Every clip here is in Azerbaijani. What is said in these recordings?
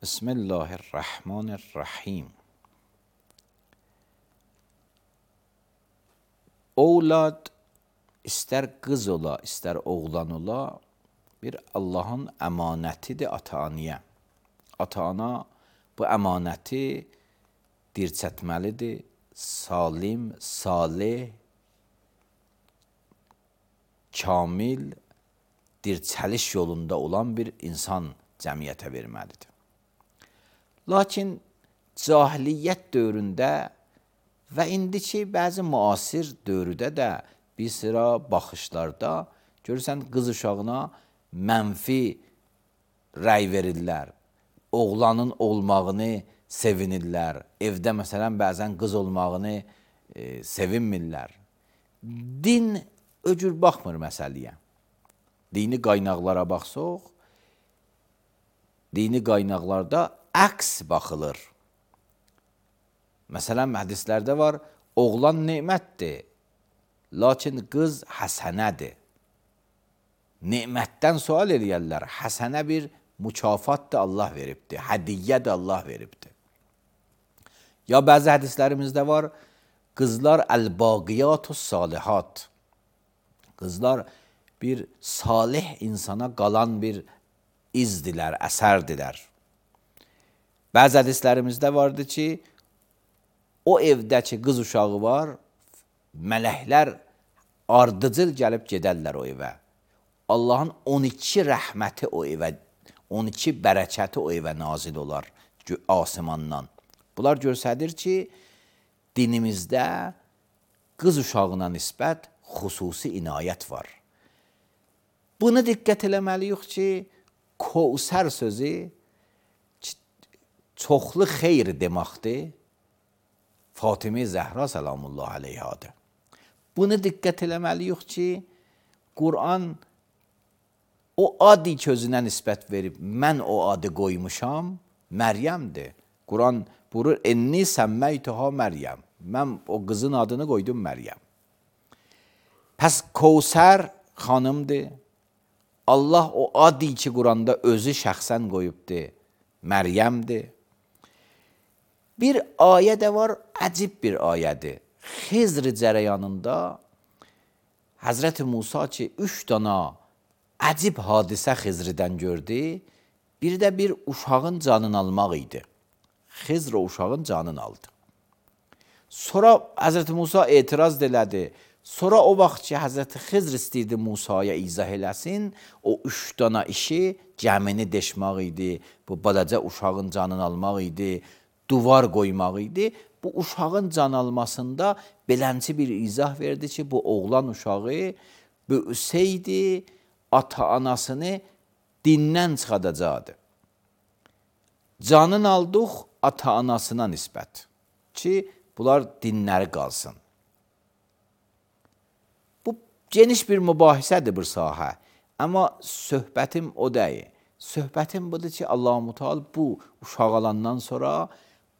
Bismillahirrahmanirrahim. Oğlad istər qız ola, istər oğlan ola, bir Allahın əmanətidir ata-anaya. Ata-ana bu əmanəti dirçətməlidir, salim, salih, kamil, dirçəliş yolunda olan bir insan cəmiyyətə verməlidir. Lakin cahiliyyət dövründə və indiki bəzi müasir dövrdə də bir sıra baxışlarda görürsən qız uşağına mənfi rəy verirlər. Oğlanın olmağını sevinirlər. Evdə məsələn bəzən qız olmağını sevinmirlər. Din öcür baxmır məsələyə. Dini qaynaqlara baxsaq, dini qaynaqlarda əks baxılır. Məsələn, hədislərdə var, oğlan nemətdir, lakin qız həsənədir. Nemətdən sual eləyərlər, həsənə bir mükafatdır Allah veribdir, hədiyyədir Allah veribdir. Ya bəzi hədislərimizdə var, qızlar əl-baqiyatus salihat. Qızlar bir salih insana qalan bir izdilər, əsərdilər. Bəzi hədislərimizdə vardı ki, o evdəki qız uşağı var, mələklər ardıcıl gəlib gedərlər o evə. Allahın 12 rəhməti o evə, 12 bərəkəti o evə nazil olar asimandan. Bunlar göstərir ki, dinimizdə qız uşağına nisbət xüsusi inayət var. Buna diqqət eləməliyik ki, Kəvsər sözü çoxlu xeyr deməkdir. Fatimə Zəhra salamullah aleyhadır. Buna diqqət eləməliyik ki, Quran o adı közünə nisbət verib, mən o adı qoymuşam, Məryəmdir. Quran buyurur, enni səmməytuha Məryəm. Mən o qızın adını qoydum Məryəm. Pəs Kəvsər xanımdır. Allah o adı ki, Quranda özü şəxsən qoyubdur, Məryəmdir. Bir ayə də var, əcib bir ayədir. Xizr cərəyanında Həzrəti Musa ki, 3 dana əcib hadisə Xizrdən gördü, bir də bir uşağın canını almaq idi. Xizr o uşağın canını aldı. Sonra Həzrəti Musa etiraz elədi. Sonra o vaxt ki, Həzrəti Xizr istəyirdi Musaya izah eləsin, o 3 dana işi gəmini deşmək idi, bu balaca uşağın canını almaq idi, duvar qoymaq idi. Bu uşağın can almasında belənci bir izah verdi ki, bu oğlan uşağı böyüsəydi, ata-anasını dindən çıxadacaqdı. Canın aldıq ata-anasına nisbət ki, bunlar dinləri qalsın. Bu geniş bir mübahisədir bir sahə. Amma söhbətim o deyil. Söhbətim budur ki, Allah-u Teala bu uşaq alandan sonra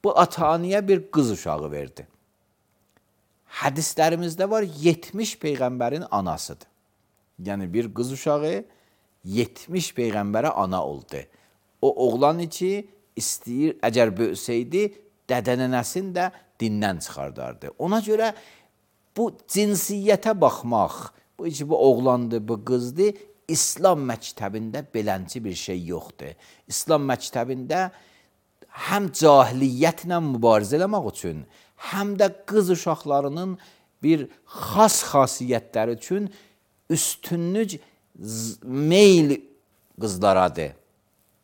bu ata-anaya bir qız uşağı verdi. Hədislərimizdə var, 70 peyğəmbərin anasıdır. Yəni bir qız uşağı 70 peyğəmbərə ana oldu. O oğlan ki, istəyir, əgər böyüsəydi, dədənənəsini də dindən çıxardardı. Ona görə bu cinsiyyətə baxmaq, bu oğlandır, bu qızdır, İslam məktəbində belənci bir şey yoxdur. İslam məktəbində həm cahiliyyətlə mübarizə eləmək üçün, həm də qız uşaqlarının bir xas xasiyyətləri üçün üstünlük meyl qızlaradır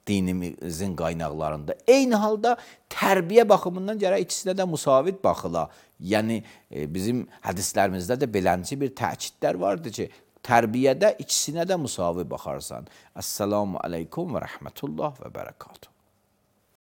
dinimizin qaynaqlarında. Eyni halda tərbiyə baxımından gərək ikisinə də müsavit baxıla. Yəni bizim hədislərimizdə də belənci bir təkidlər vardır ki, tərbiyədə ikisinə də müsavit baxarsan. Əssalamu aleykum və rəhmətullah və bərəkatuhu.